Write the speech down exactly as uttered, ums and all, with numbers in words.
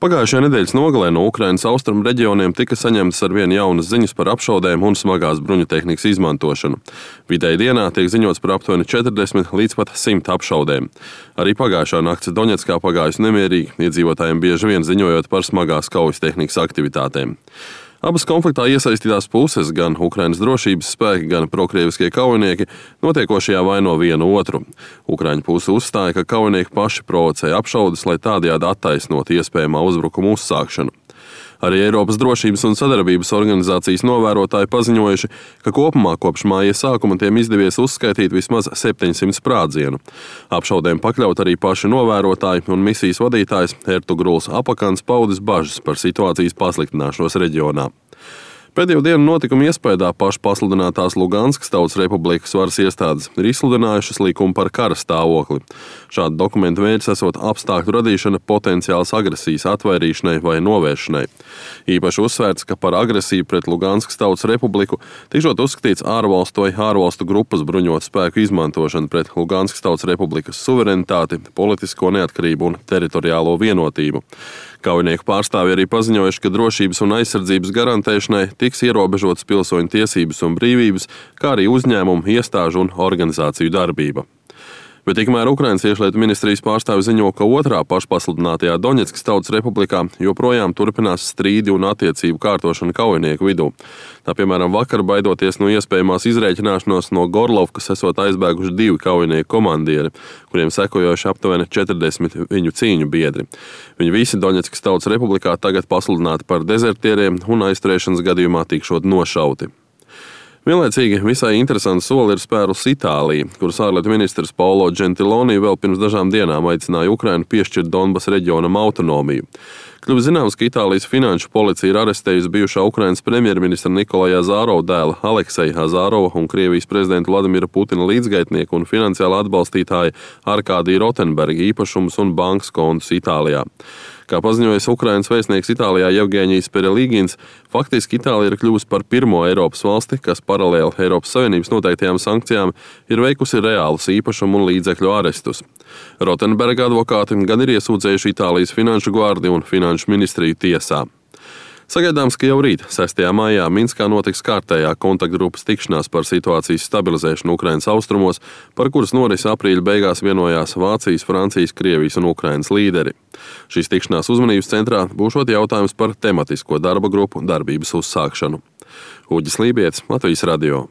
Pagājušajā nedēļas nogalē no Ukrainas austrumu reģioniem tika saņemtas arvien jaunas ziņas par apšaudēm un smagās bruņutehnikas izmantošanu. Vidēji dienā tiek ziņots par aptuveni četrdesmit līdz pat simt apšaudēm. Arī pagājušā nakts Doņetskā pagājusi nemierīgi, iedzīvotājiem bieži vien ziņojot par smagās kaujas tehnikas aktivitātēm. Abas konfliktā iesaistītās puses, gan Ukrainas drošības spēki, gan prokrieviskie kaujinieki, notiekošajā vaino vienu otru. Ukraiņu puse uzstāja, ka kaujinieki paši provocēja apšaudes, lai tādējādi attaisnotu iespējamā uzbrukuma uzsākšanu. Arī Eiropas drošības un sadarbības organizācijas novērotāji paziņojuši, ka kopumā kopš māja sākuma tiem izdevies uzskaitīt vismaz septiņsimt sprādzienu. Apšaudēm pakļaut arī paši novērotāji un misijas vadītājs Ertugruls Apakans paudis bažas par situācijas pasliktināšanos reģionā. Pēdējo dienu notikumu iespējā pašpasludinātās Luganskas Tautas Republikas varas iestādes ir izsludinājušas likumu par kara stāvokli. Šāda dokumenta mērķis esot apstākļu radīšana potenciālas agresijas atvairīšanai vai novēršanai. Īpaši uzsvērts, ka par agresiju pret Luganskas Tautas Republiku tikšot uzskatīts ārvalstu vai ārvalstu grupas bruņotu spēku izmantošana pret Luganskas Tautas Republikas suverenitāti, politisko neatkarību un teritoriālo vienotību. Kaujinieku pārstāvji arī paziņojuši, ka drošības un aizsardzības garantēšanai tiks ierobežotas pilsoņu tiesības un brīvības, kā arī uzņēmumu, iestāžu un organizāciju darbība. Bet tikmēr Ukrainas iekšlietu ministrijas pārstāvi ziņo, ka otrā pašpasludinātajā Doņetskas Tautas Republikā joprojām turpinās strīdi un attiecību kārtošana kaujinieku vidū. Tā piemēram vakar, baidoties no iespējamās izrēķināšanos no Gorlovkas, esot aizbēguši divi kaujinieku komandieri, kuriem sekojoši aptuveni četrdesmit viņu cīņu biedri. Viņi visi Doņetskas Tautas Republikā tagad pasludināti par dezertieriem un aizturēšanas gadījumā tikšot nošauti. Vienlaicīgi visai interesantu soli ir spērusi Itālija, kuras ārlietu ministrs Paolo Gentiloni vēl pirms dažām dienām aicināja Ukrainu piešķirt Donbas reģionam autonomiju. Kļuvis zināms, ka Itālijas finanšu policija ir arestējusi bijušā Ukrainas premjerministra Nikolaja Azārova dēla Alekseja Azārova un Krievijas prezidenta Vladimira Putina līdzgaitnieku un finansiāla atbalstītāja Arkādija Rotenberga īpašumus un bankas kontus Itālijā. Kā paziņojas Ukrainas vēstnieks Itālijā Jevgeņijs Perelīgins, faktiski Itālija ir kļuvusi par pirmo Eiropas valsti, kas paralēli Eiropas Savienības noteiktajām sankcijām ir veikusi reālus īpašumu un līdzekļu arestus. Rotenberga advokāti gan ir iesūdzējuši Itālijas finanšu gvardi un finanšu ministriju tiesā. Sagaidāms, ka jau rīt, sestajā maijā, Minskā notiks kārtējā kontaktgrupas tikšanās par situācijas stabilizēšanu Ukrainas austrumos, par kuras norisi aprīļa beigās vienojās Vācijas, Francijas, Krievijas un Ukrainas līderi. Šīs tikšanās uzmanības centrā būšot jautājums par tematisko darba grupu darbības uzsākšanu. Uģis Lībietis, Latvijas radio.